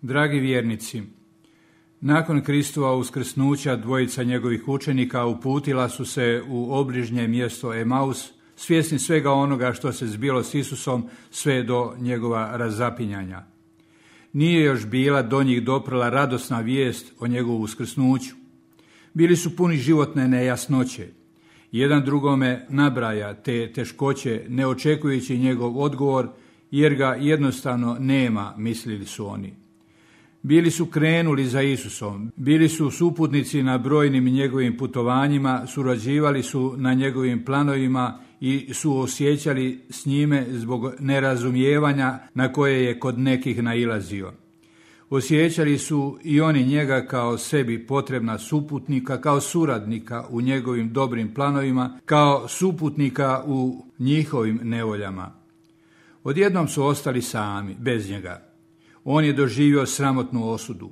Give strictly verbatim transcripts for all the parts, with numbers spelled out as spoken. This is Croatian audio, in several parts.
Dragi vjernici, nakon Kristova uskrsnuća dvojica njegovih učenika uputila su se u obližnje mjesto Emaus, svjesni svega onoga što se zbilo s Isusom sve do njegova razapinjanja. Nije još bila do njih doprla radosna vijest o njegovu uskrsnuću. Bili su puni životne nejasnoće. Jedan drugome nabraja te teškoće, ne očekujući njegov odgovor, jer ga jednostavno nema, mislili su oni. Bili su krenuli za Isusom, bili su suputnici na brojnim njegovim putovanjima, surađivali su na njegovim planovima i suosjećali s njime zbog nerazumijevanja na koje je kod nekih nailazio. Osjećali su i oni njega kao sebi potrebna suputnika, kao suradnika u njegovim dobrim planovima, kao suputnika u njihovim nevoljama. Odjednom su ostali sami, bez njega. On je doživio sramotnu osudu.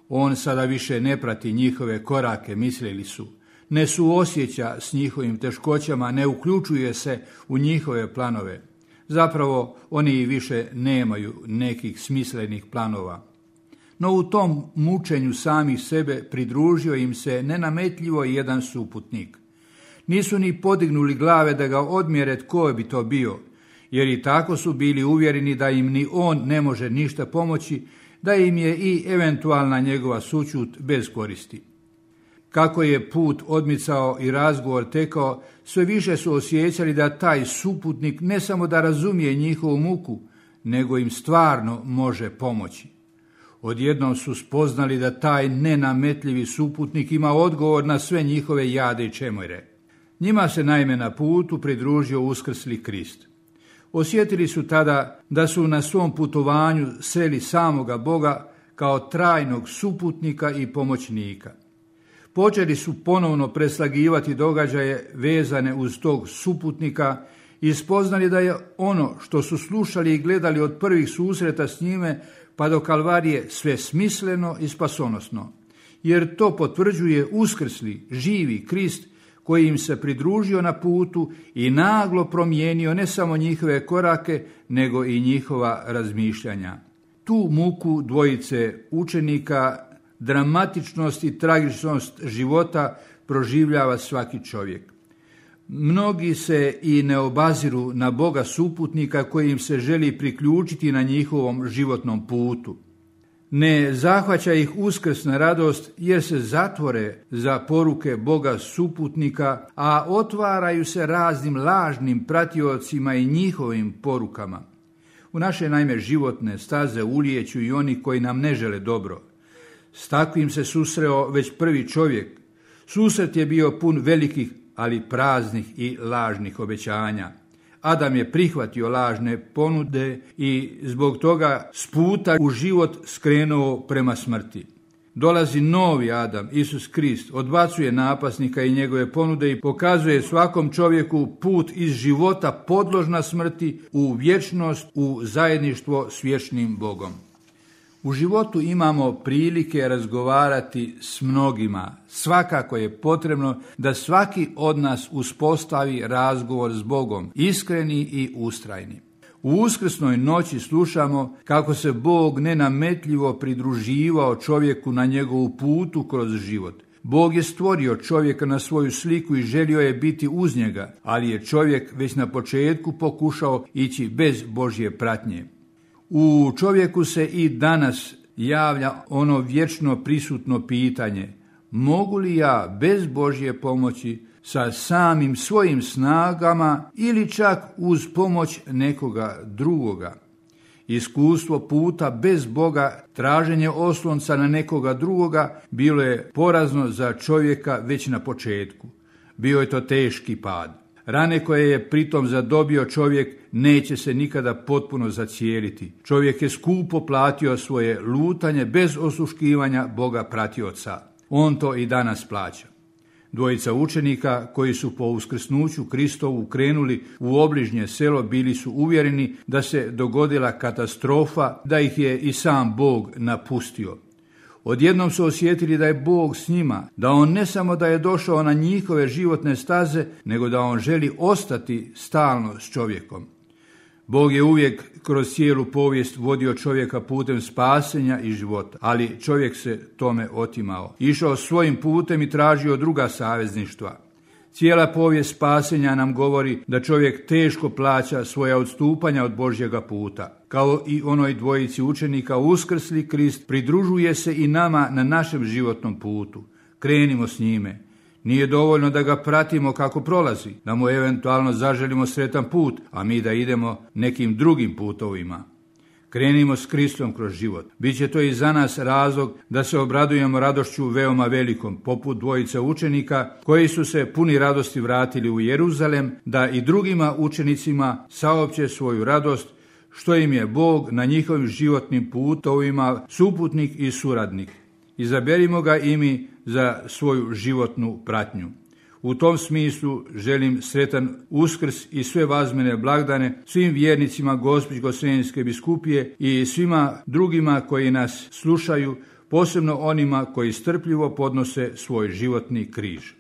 On sada više ne prati njihove korake, mislili su. Ne suosjeća s njihovim teškoćama, ne uključuje se u njihove planove. Zapravo, oni i više nemaju nekih smislenih planova. No u tom mučenju samih sebe pridružio im se nenametljivo jedan suputnik. Nisu ni podignuli glave da ga odmjere tko bi to bio, jer i tako su bili uvjereni da im ni on ne može ništa pomoći, da im je i eventualna njegova sućut bez koristi. Kako je put odmicao i razgovor tekao, sve više su osjećali da taj suputnik ne samo da razumije njihovu muku, nego im stvarno može pomoći. Odjednom su spoznali da taj nenametljivi suputnik ima odgovor na sve njihove jade i čemore. Njima se naime na putu pridružio uskrsli Krist. Osjetili su tada da su na svom putovanju sreli samoga Boga kao trajnog suputnika i pomoćnika. Počeli su ponovno preslagivati događaje vezane uz tog suputnika i spoznali da je ono što su slušali i gledali od prvih susreta s njime pa do Kalvarije sve smisleno i spasonosno, jer to potvrđuje uskrsli, živi Krist koji im se pridružio na putu i naglo promijenio ne samo njihove korake, nego i njihova razmišljanja. Tu muku dvojice učenika, dramatičnost i tragičnost života proživljava svaki čovjek. Mnogi se i ne obaziru na Boga suputnika koji im se želi priključiti na njihovom životnom putu. Ne zahvaća ih uskrsna radost jer se zatvore za poruke Boga suputnika, a otvaraju se raznim lažnim pratiocima i njihovim porukama. U naše naime životne staze ulijeću i oni koji nam ne žele dobro. S takvim se susreo već prvi čovjek. Susret je bio pun velikih, ali praznih i lažnih obećanja. Adam je prihvatio lažne ponude i zbog toga s puta u život skrenuo prema smrti. Dolazi novi Adam, Isus Krist, odbacuje napasnika i njegove ponude i pokazuje svakom čovjeku put iz života podložna smrti u vječnost, u zajedništvo s vječnim Bogom. U životu imamo prilike razgovarati s mnogima. Svakako je potrebno da svaki od nas uspostavi razgovor s Bogom, iskreni i ustrajni. U uskrsnoj noći slušamo kako se Bog nenametljivo pridruživao čovjeku na njegovu putu kroz život. Bog je stvorio čovjeka na svoju sliku i želio je biti uz njega, ali je čovjek već na početku pokušao ići bez Božje pratnje. U čovjeku se i danas javlja ono vječno prisutno pitanje: mogu li ja bez Božje pomoći sa samim svojim snagama ili čak uz pomoć nekoga drugoga? Iskustvo puta bez Boga, traženje oslonca na nekoga drugoga bilo je porazno za čovjeka već na početku. Bio je to teški pad. Rane koje je pritom zadobio čovjek neće se nikada potpuno zacijeliti. Čovjek je skupo platio svoje lutanje bez osluškivanja Boga pratioca. On to i danas plaća. Dvojica učenika koji su po uskrsnuću Kristovu krenuli u obližnje selo bili su uvjereni da se dogodila katastrofa, da ih je i sam Bog napustio. Odjednom su osjetili da je Bog s njima, da on ne samo da je došao na njihove životne staze, nego da on želi ostati stalno s čovjekom. Bog je uvijek kroz cijelu povijest vodio čovjeka putem spasenja i života, ali čovjek se tome otimao. Išao svojim putem i tražio druga savezništva. Cijela povijest spasenja nam govori da čovjek teško plaća svoja odstupanja od Božjega puta. Kao i onoj dvojici učenika, uskrsli Krist pridružuje se i nama na našem životnom putu. Krenimo s njime. Nije dovoljno da ga pratimo kako prolazi, da mu eventualno zaželimo sretan put, a mi da idemo nekim drugim putovima. Krenimo s Kristom kroz život. Biće to i za nas razlog da se obradujemo radošću veoma velikom, poput dvojice učenika koji su se puni radosti vratili u Jeruzalem, da i drugima učenicima saopće svoju radost, što im je Bog na njihovim životnim putovima suputnik i suradnik. Izaberimo ga i mi za svoju životnu pratnju. U tom smislu želim sretan Uskrs i sve vazmene blagdane svim vjernicima Gospićko-senjske biskupije i svima drugima koji nas slušaju, posebno onima koji strpljivo podnose svoj životni križ.